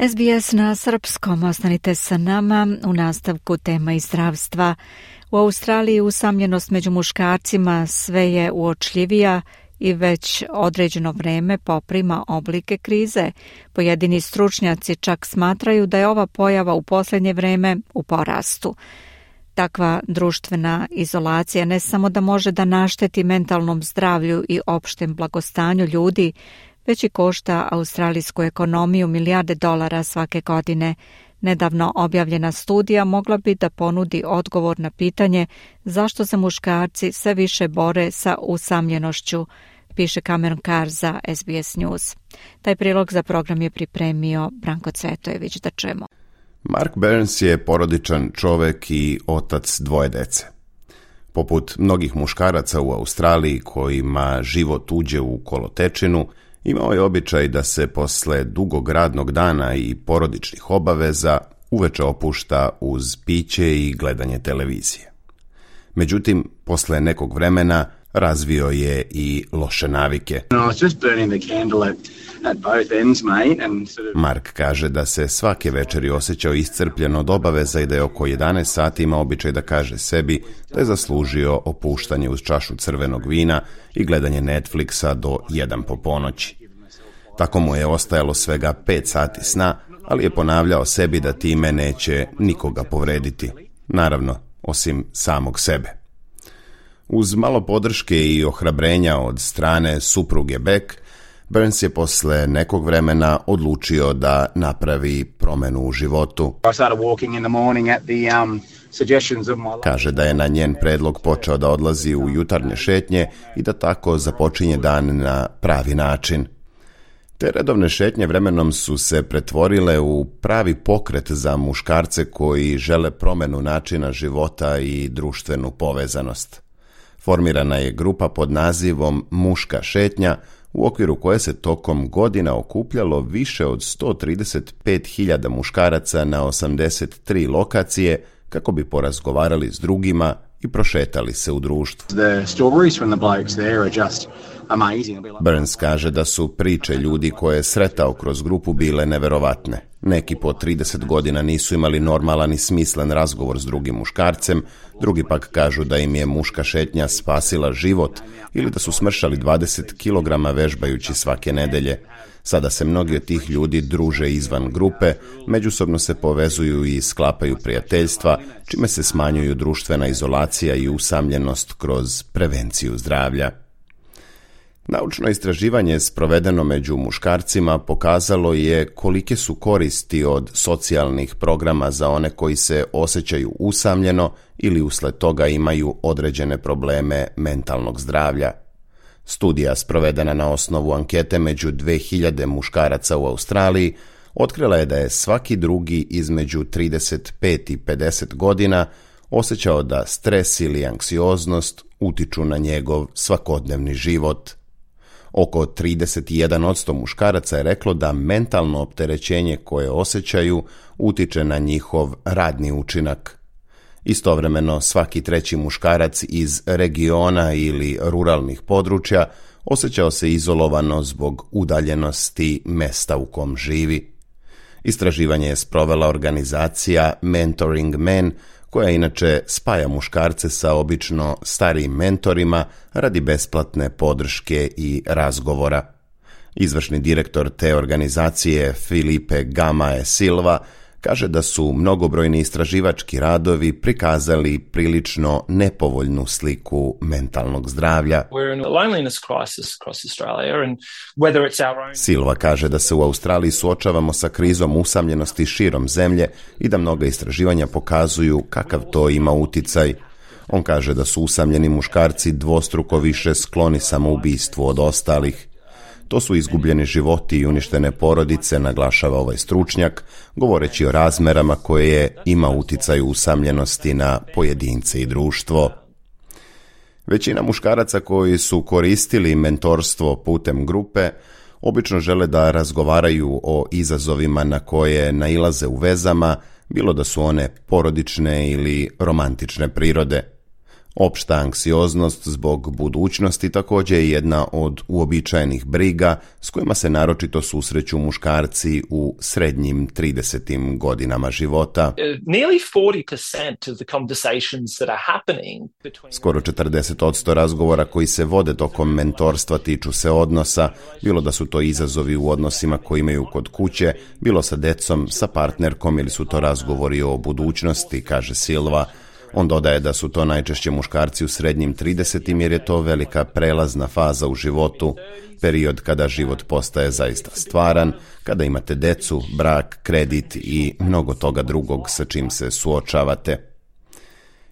SBS na srpskom, ostanite sa nama. U nastavku tema iz zdravstva. U Australiji usamljenost među muškarcima sve je uočljivija i već određeno vreme poprima oblike krize. Pojedini stručnjaci čak smatraju da je ova pojava u posljednje vreme u porastu. Takva društvena izolacija ne samo da može da našteti mentalnom zdravlju i opštem blagostanju ljudi, već i košta australijsku ekonomiju milijarde dolara svake godine. Nedavno objavljena studija mogla bi da ponudi odgovor na pitanje zašto se muškarci sve više bore sa usamljenošću, piše Cameron Carr za SBS News. Taj prilog za program je pripremio Branko Cvetojević, da čujemo. Mark Burns je porodičan čovek i otac dvoje dece. Poput mnogih muškaraca u Australiji kojima život uđe u kolotečinu, imao je običaj da se posle dugog radnog dana i porodičnih obaveza uveče opušta uz piće i gledanje televizije. Međutim, posle nekog vremena razvio je i loše navike. Mark kaže da se svake večeri osjećao iscrpljen od obaveza i da je oko 11 sati imao običaj da kaže sebi da je zaslužio opuštanje uz čašu crvenog vina i gledanje Netflixa do 1 po ponoći. Tako mu je ostajalo svega 5 sati sna, ali je ponavljao sebi da time neće nikoga povrediti. Naravno, osim samog sebe. Uz malo podrške i ohrabrenja od strane supruge Beck, Burns je posle nekog vremena odlučio da napravi promenu u životu. Kaže da je na njen predlog počeo da odlazi u jutarnje šetnje i da tako započinje dan na pravi način. Te redovne šetnje vremenom su se pretvorile u pravi pokret za muškarce koji žele promenu načina života i društvenu povezanost. Formirana je grupa pod nazivom Muška šetnja, u okviru koje se tokom godina okupljalo više od 135.000 muškaraca na 83 lokacije kako bi porazgovarali s drugima i prošetali se u društvu. Burns kaže da su priče ljudi koje je sretao kroz grupu bile neverovatne. Neki po 30 godina nisu imali normalan i smislen razgovor s drugim muškarcem, drugi pak kažu da im je muška šetnja spasila život ili da su smršali 20 kg vežbajući svake nedelje. Sada se mnogi od tih ljudi druže izvan grupe, međusobno se povezuju i sklapaju prijateljstva, čime se smanjuju društvena izolacija i usamljenost kroz prevenciju zdravlja. Naučno istraživanje sprovedeno među muškarcima pokazalo je kolike su koristi od socijalnih programa za one koji se osjećaju usamljeno ili usled toga imaju određene probleme mentalnog zdravlja. Studija sprovedena na osnovu ankete među 2000 muškaraca u Australiji otkrila je da je svaki drugi između 35 i 50 godina osjećao da stres ili anksioznost utiču na njegov svakodnevni život. Oko 31% muškaraca je reklo da mentalno opterećenje koje osjećaju utiče na njihov radni učinak. Istovremeno, svaki treći muškarac iz regiona ili ruralnih područja osjećao se izolovano zbog udaljenosti mesta u kom živi. Istraživanje je sprovela organizacija Mentoring Men, koja inače spaja muškarce sa obično starijim mentorima radi besplatne podrške i razgovora. Izvršni direktor te organizacije Filipe Gamae Silva kaže da su mnogobrojni istraživački radovi prikazali prilično nepovoljnu sliku mentalnog zdravlja. Silva kaže da se u Australiji suočavamo sa krizom usamljenosti širom zemlje i da mnoga istraživanja pokazuju kakav to ima uticaj. On kaže da su usamljeni muškarci dvostruko više skloni samoubistvu od ostalih. To su izgubljeni životi i uništene porodice, naglašava ovaj stručnjak, govoreći o razmerama koje ima uticaj usamljenosti na pojedince i društvo. Većina muškaraca koji su koristili mentorstvo putem grupe obično žele da razgovaraju o izazovima na koje nailaze u vezama, bilo da su one porodične ili romantične prirode. Opšta anksioznost zbog budućnosti također je jedna od uobičajenih briga s kojima se naročito susreću muškarci u srednjim 30. godinama života. Skoro 40% razgovora koji se vode tokom mentorstva tiču se odnosa, bilo da su to izazovi u odnosima koji imaju kod kuće, bilo sa decom, sa partnerkom ili su to razgovori o budućnosti, kaže Silva. On dodaje da su to najčešće muškarci u srednjim 30. jer je to velika prelazna faza u životu, period kada život postaje zaista stvaran, kada imate decu, brak, kredit i mnogo toga drugog sa čim se suočavate.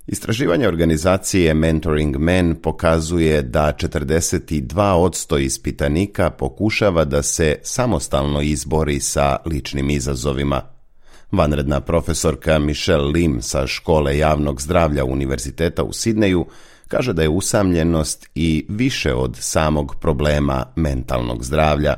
Istraživanje organizacije Mentoring Men pokazuje da 42% ispitanika pokušava da se samostalno izbori sa ličnim izazovima. Vanredna profesorka Michelle Lim sa škole javnog zdravlja Univerziteta u Sidneju kaže da je usamljenost i više od samog problema mentalnog zdravlja.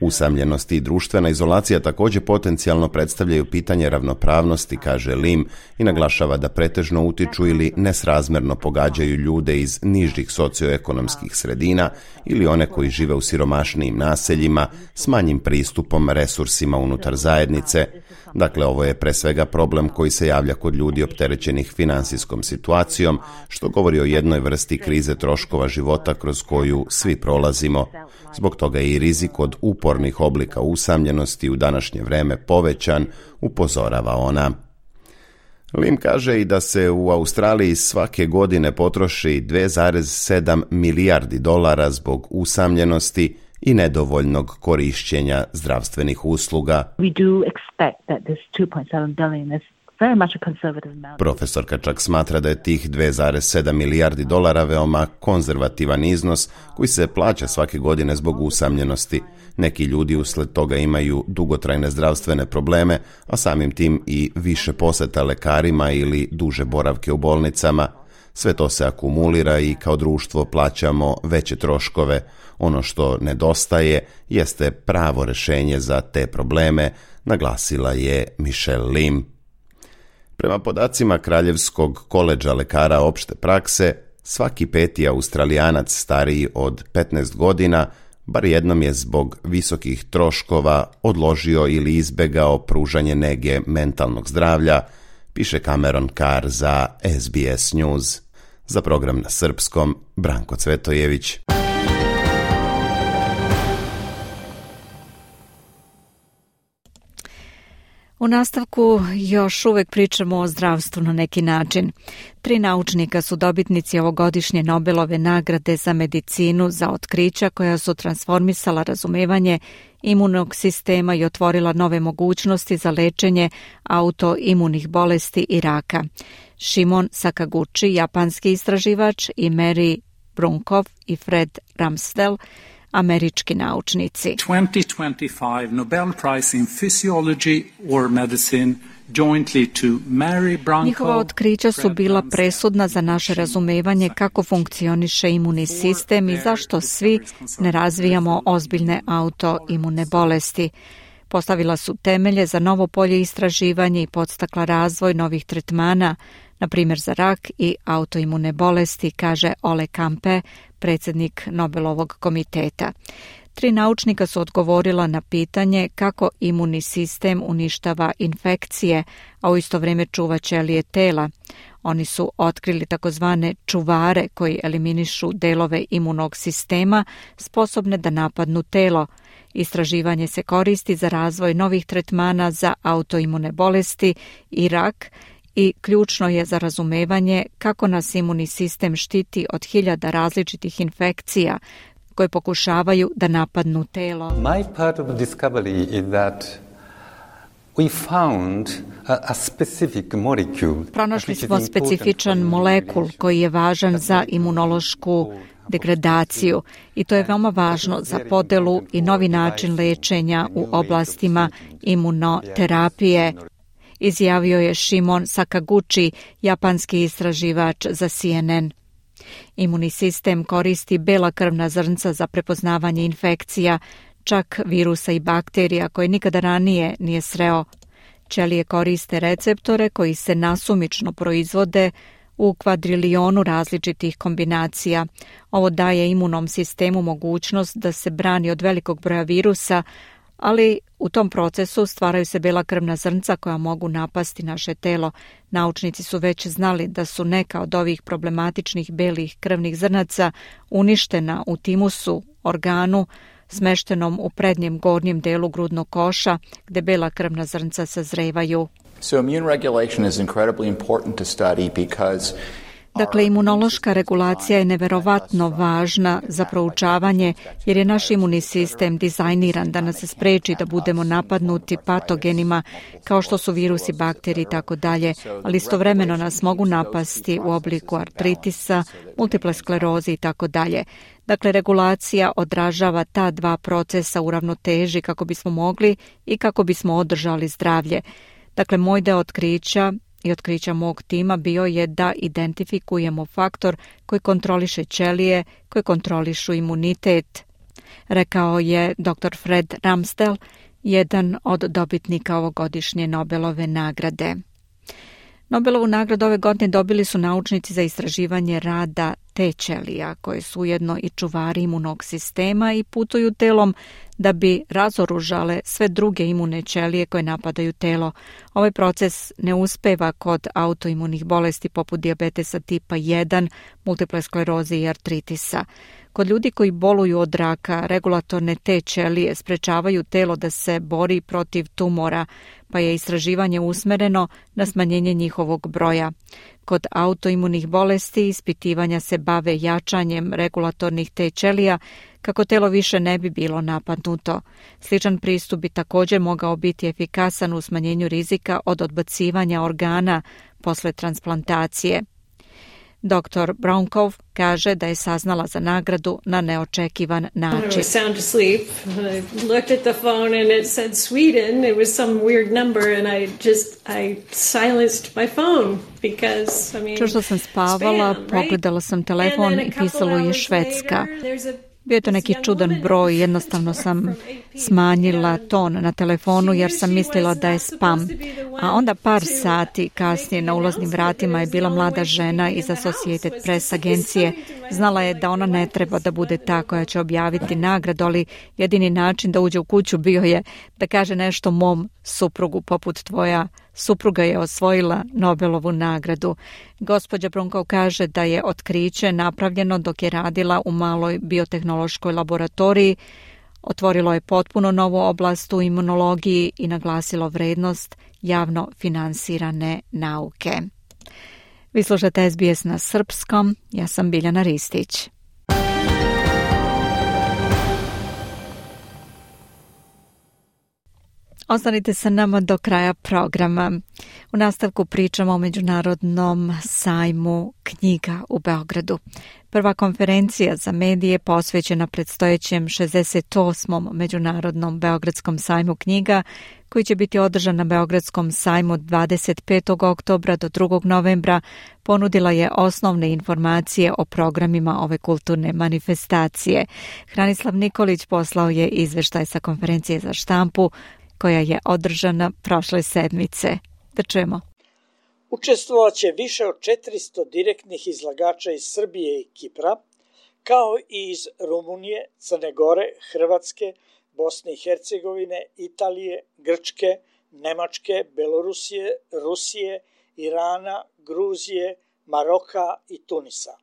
Usamljenost i društvena izolacija također potencijalno predstavljaju pitanje ravnopravnosti, kaže Lim, i naglašava da pretežno utiču ili nesrazmjerno pogađaju ljude iz nižih socioekonomskih sredina ili one koji žive u siromašnijim naseljima s manjim pristupom resursima unutar zajednice. Dakle, ovo je pre svega problem koji se javlja kod ljudi opterećenih finansijskom situacijom, što govori o jednoj vrsti krize troškova života kroz koju svi prolazimo. Zbog toga je i rizik od upornih oblika usamljenosti u današnje vreme povećan, upozorava ona. Lim kaže i da se u Australiji svake godine potroši 2,7 milijardi dolara zbog usamljenosti i nedovoljnog korišćenja zdravstvenih usluga. Profesorka čak smatra da je tih 2,7 milijardi dolara veoma konzervativan iznos koji se plaća svake godine zbog usamljenosti. Neki ljudi usled toga imaju dugotrajne zdravstvene probleme, a samim tim i više poseta lekarima ili duže boravke u bolnicama. Sve to se akumulira i kao društvo plaćamo veće troškove. Ono što nedostaje jeste pravo rješenje za te probleme, naglasila je Michelle Lim. Prema podacima Kraljevskog koledža lekara opšte prakse, svaki 5. Australijanac stariji od 15 godina bar jednom je zbog visokih troškova odložio ili izbegao pružanje nege mentalnog zdravlja, piše Cameron Carr za SBS News. Za program na srpskom, Branko Cvetojević. U nastavku još uvek pričamo o zdravstvu na neki način. 3 naučnika su dobitnici ovogodišnje Nobelove nagrade za medicinu za otkrića koja su transformisala razumevanje imunog sistema i otvorila nove mogućnosti za lečenje autoimunih bolesti i raka. Shimon Sakaguchi, japanski istraživač, i Mary Brunkov i Fred Ramsdell, američki naučnici. 2025 Nobel Prize in Physiology or Medicine jointly to Mary Brunkov. Njihova otkrića su bila presudna za naše razumevanje kako funkcioniše imunni sistem i zašto svi ne razvijamo ozbiljne autoimune bolesti. Postavila su temelje za novo polje istraživanja i podstakla razvoj novih tretmana, na primjer za rak i autoimune bolesti, kaže Ole Kampe, predsjednik Nobelovog komiteta. 3 naučnika su odgovorila na pitanje kako imunni sistem uništava infekcije, a u isto vrijeme čuva ćelije tela. Oni su otkrili takozvane čuvare koji eliminišu delove imunog sistema sposobne da napadnu telo. Istraživanje se koristi za razvoj novih tretmana za autoimune bolesti i rak i ključno je za razumevanje kako nas imunni sistem štiti od 1000 različitih infekcija koje pokušavaju da napadnu telo. My part of the discovery is that we found a specific molecule. Pronašli smo specifičan molekul koji je važan za imunološku degradaciju i to je veoma važno za podelu i novi način lečenja u oblastima imunoterapije, izjavio je Shimon Sakaguchi, japanski istraživač za CNN. Imunni sistem koristi bela krvna zrnca za prepoznavanje infekcija, čak virusa i bakterija koje nikada ranije nije sreo. Ćelije koriste receptore koji se nasumično proizvode u kvadrilionu različitih kombinacija. Ovo daje imunom sistemu mogućnost da se brani od velikog broja virusa, ali u tom procesu stvaraju se bela krvna zrnca koja mogu napasti naše telo. Naučnici su već znali da su neka od ovih problematičnih belih krvnih zrnaca uništena u timusu, organu, smeštenom u prednjem gornjem delu grudnog koša, gde bela krvna zrnca sazrevaju. So immune regulation is incredibly important to study because Dakle, imunološka regulacija je neverovatno važna za proučavanje jer je naš imunni sistem dizajniran da nas spreči da budemo napadnuti patogenima kao što su virusi, bakterije i tako dalje, ali istovremeno nas mogu napasti u obliku artritisa, multiple skleroze i tako dalje. Dakle, regulacija odražava ta dva procesa u ravnoteži kako bismo mogli i kako bismo održali zdravlje. Dakle, moj deo otkrića i otkrića mog tima bio je da identifikujemo faktor koji kontroliše ćelije, koji kontrolišu imunitet, rekao je dr. Fred Ramstel, jedan od dobitnika ovogodišnje Nobelove nagrade. Nobelovu nagradu ove godine dobili su naučnici za istraživanje rada T ćelija, koje su ujedno i čuvari imunog sistema i putuju telom da bi razoružale sve druge imune ćelije koje napadaju telo. Ovaj proces ne uspeva kod autoimunih bolesti poput dijabetesa tipa 1, multiple skleroze i artritisa. Kod ljudi koji boluju od raka, regulatorne T ćelije sprečavaju telo da se bori protiv tumora, pa je istraživanje usmereno na smanjenje njihovog broja. Kod autoimunih bolesti ispitivanja se bave jačanjem regulatornih T ćelija kako telo više ne bi bilo napadnuto. Sličan pristup bi također mogao biti efikasan u smanjenju rizika od odbacivanja organa posle transplantacije. Dr. Bronkov kaže da je saznala za nagradu na neočekivan način. I was sound asleep. I looked at the phone and it said Sweden. It was some weird number and I silenced my phone because Čušto sam spavala, pogledala sam telefon i pisalo je Švedska. Bio je to neki čudan broj, jednostavno sam smanjila ton na telefonu jer sam mislila da je spam. A onda par sati kasnije na ulaznim vratima je bila mlada žena iz Associated Press agencije. Znala je da ona ne treba da bude ta koja će objaviti nagradu, ali jedini način da uđe u kuću bio je da kaže nešto mom suprugu, poput tvoja supruga je osvojila Nobelovu nagradu. Gospođa Bronkov kaže da je otkriće napravljeno dok je radila u maloj biotehnološkoj laboratoriji. Otvorilo je potpuno novu oblast u imunologiji i naglasilo vrednost javno finansirane nauke. Vi slušate SBS na srpskom, ja sam Biljana Ristić. Ostanite sa nama do kraja programa. U nastavku pričamo o Međunarodnom sajmu knjiga u Beogradu. Prva konferencija za medije posvećena predstojećem 68. Međunarodnom Beogradskom sajmu knjiga, koji će biti održan na Beogradskom sajmu od 25. oktobra do 2. novembra, ponudila je osnovne informacije o programima ove kulturne manifestacije. Hranislav Nikolić poslao je izveštaj sa konferencije za štampu, koja je održana prošle sedmice. Da čujemo. Učestvovaće više od 400 direktnih izlagača iz Srbije i Kipra, kao i iz Rumunije, Crne Gore, Hrvatske, Bosne i Hercegovine, Italije, Grčke, Nemačke, Belorusije, Rusije, Irana, Gruzije, Maroka i Tunisa.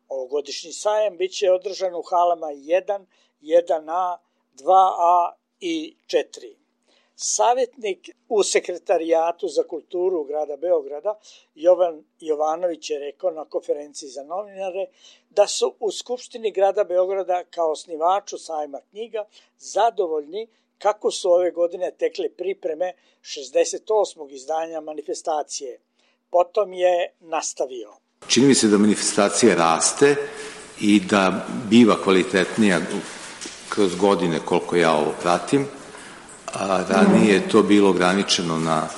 Ovogodišnji sajam bit će održan u halama 1, 1A, 2A i 4. Savjetnik u Sekretarijatu za kulturu grada Beograda, Jovan Jovanović, je rekao na konferenciji za novinare da su u Skupštini grada Beograda kao osnivaču sajma knjiga zadovoljni kako su ove godine tekle pripreme 68. izdanja manifestacije. Potom je nastavio. Čini mi se da manifestacija raste i da biva kvalitetnija kroz godine koliko ja ovo pratim. Ranije je to bilo ograničeno na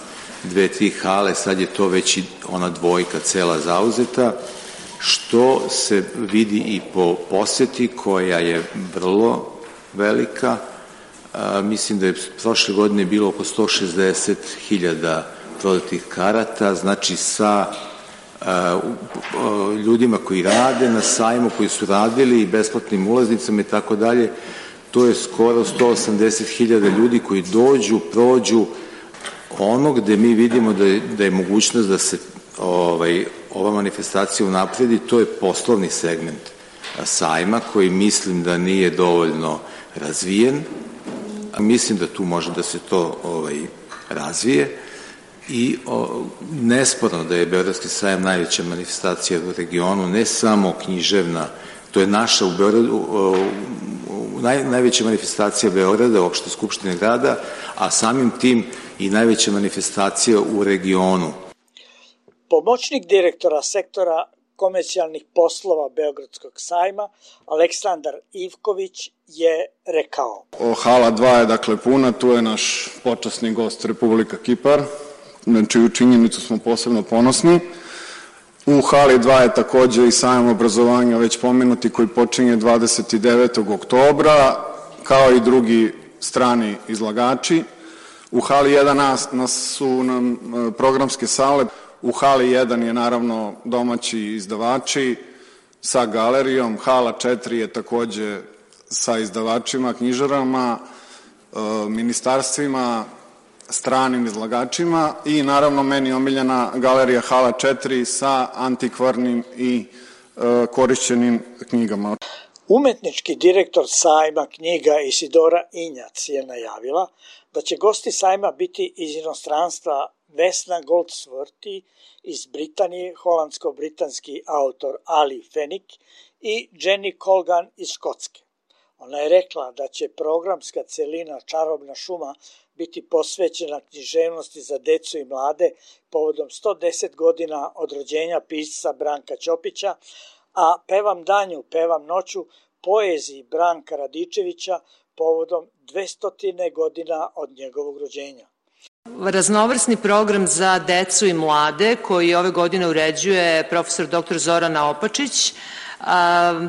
2-3 hale, sad je to već i ona dvojka cela zauzeta, što se vidi i po poseti koja je vrlo velika. Mislim da je prošle godine bilo oko 160.000 prodatih karata, znači sa ljudima koji rade na sajmu, koji su radili i besplatnim ulaznicama i tako dalje, to je skoro 180.000 ljudi koji dođu, prođu ono gde mi vidimo da je mogućnost da se ova manifestacija unapredi, to je poslovni segment sajma koji mislim da nije dovoljno razvijen. Mislim da tu može da se to razvije i nesporno da je Beogradski sajam najveća manifestacija u regionu, ne samo književna, to je naša u Beogradu, najveća manifestacija Beograda, opšte skupštine grada, a samim tim i najveća manifestacija u regionu. Pomoćnik direktora sektora komercijalnih poslova Beogradskog sajma, Aleksandar Ivković, je rekao. Hala 2 je dakle puna, tu je naš počasni gost Republika Kipar, na čiju činjenicu smo posebno ponosni. U hali 2 je takođe i sajam obrazovanja već pomenuti koji počinje 29. oktobra, kao i drugi strani izlagači. U hali 1 su nam programske sale. U hali 1 je naravno domaći izdavači sa galerijom. Hala 4 je takođe sa izdavačima, knjižarama, ministarstvima, stranim izlagačima i naravno meni omiljena galerija hala 4 sa antikvarnim i korišćenim knjigama. Umetnički direktor sajma knjiga Isidora Injac je najavila da će gosti sajma biti iz inostranstva Vesna Goldsworthy iz Britanije, holandsko-britanski autor Ali Fenik i Jenny Colgan iz Škotske. Ona je rekla da će programska celina Čarobna šuma biti posvećena književnosti za decu i mlade povodom 110 godina od rođenja pisca Branka Ćopića, a Pevam danju, pevam noću poeziji Branka Radičevića povodom 200 godina od njegovog rođenja. Raznovrsni program za decu i mlade koji ove godine uređuje profesor dr. Zorana Opačić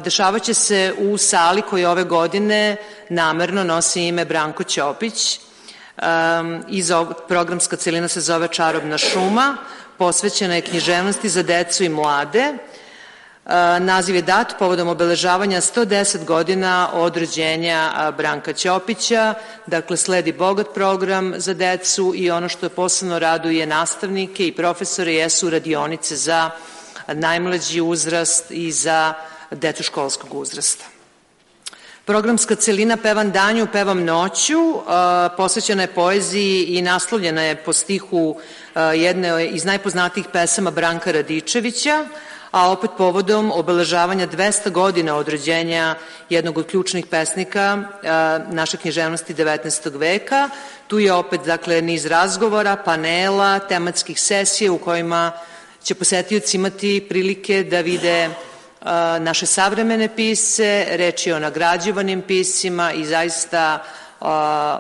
dešavaće se u sali koja ove godine namerno nosi ime Branko Ćopić. Programska celina se zove Čarobna šuma, posvećena je književnosti za decu i mlade. Naziv je dat povodom obeležavanja 110 godina od rođenja Branka Ćopića, dakle sledi bogat program za decu i ono što posebno raduje nastavnike i profesore jesu radionice za najmlađi uzrast i za decu školskog uzrasta. Programska celina Pevam danju, pevam noću posvećena je poeziji i naslovljena je po stihu jedne iz najpoznatijih pesama Branka Radičevića, a opet povodom obeležavanja 200 godina od rođenja jednog od ključnih pesnika naše književnosti 19. veka. Tu je opet, dakle, niz razgovora, panela, tematskih sesija u kojima će posetioci imati prilike da vide naše savremene pisce, reč je o nagrađivanim piscima i zaista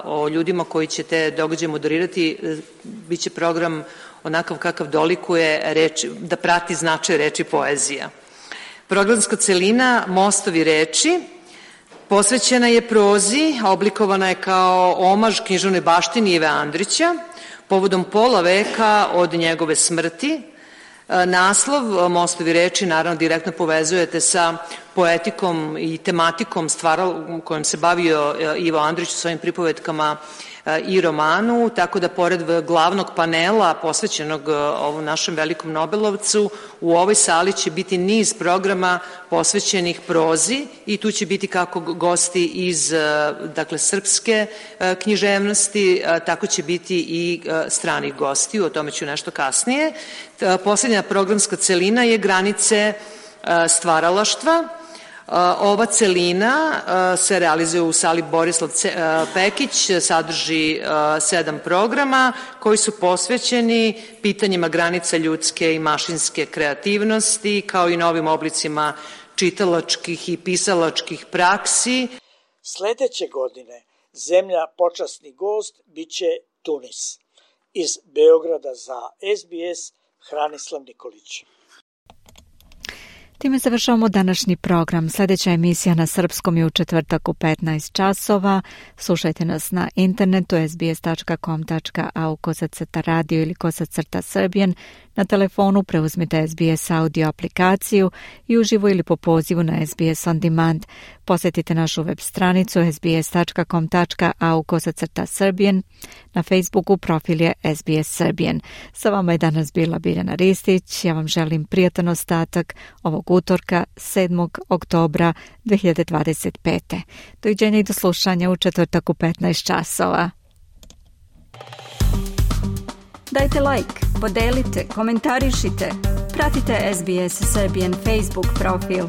o ljudima koji će te događaje moderirati. Biće program onakav kakav dolikuje da prati značaj reči poezija. Programska celina Mostovi reči posvećena je prozi, a oblikovana je kao omaž književnoj baštini Ive Andrića povodom pola veka od njegove smrti. Naslov Mostovi reči naravno direktno povezujete sa poetikom i tematikom kojom se bavio Ivo Andrić u svojim pripovetkama i romanu, tako da pored glavnog panela posvećenog ovom našem velikom Nobelovcu, u ovoj sali će biti niz programa posvećenih prozi i tu će biti kako gosti iz srpske književnosti, tako će biti i stranih gostiju, o tome ću nešto kasnije. Poslednja programska celina je granice stvaralaštva. Ova celina se realizuje u sali Borislav Pekić, sadrži 7 programa koji su posvećeni pitanjima granica ljudske i mašinske kreativnosti, kao i novim oblicima čitalačkih i pisalačkih praksi. Sledeće godine zemlja počasni gost biće Tunis. Iz Beograda za SBS Hranislav Nikolić. Time završavamo današnji program. Sljedeća emisija na srpskom je u četvrtak u 15 časova. Slušajte nas na internetu sbs.com.au/radio ili /srbijen. Na telefonu preuzmite SBS audio aplikaciju i uživo ili po pozivu na SBS On Demand. Posjetite našu web stranicu sbs.com.au/srbijen. Na Facebooku profil je SBS Srbijen. Sa vama je danas bila Biljana Ristić. Ja vam želim prijatan ostatak ovog utorka 7. oktobra 2025. Doviđenja i do slušanja u četvrtak u 15 časova. Dajte like, podelite, komentarišite. Pratite SBS Serbian Facebook profil.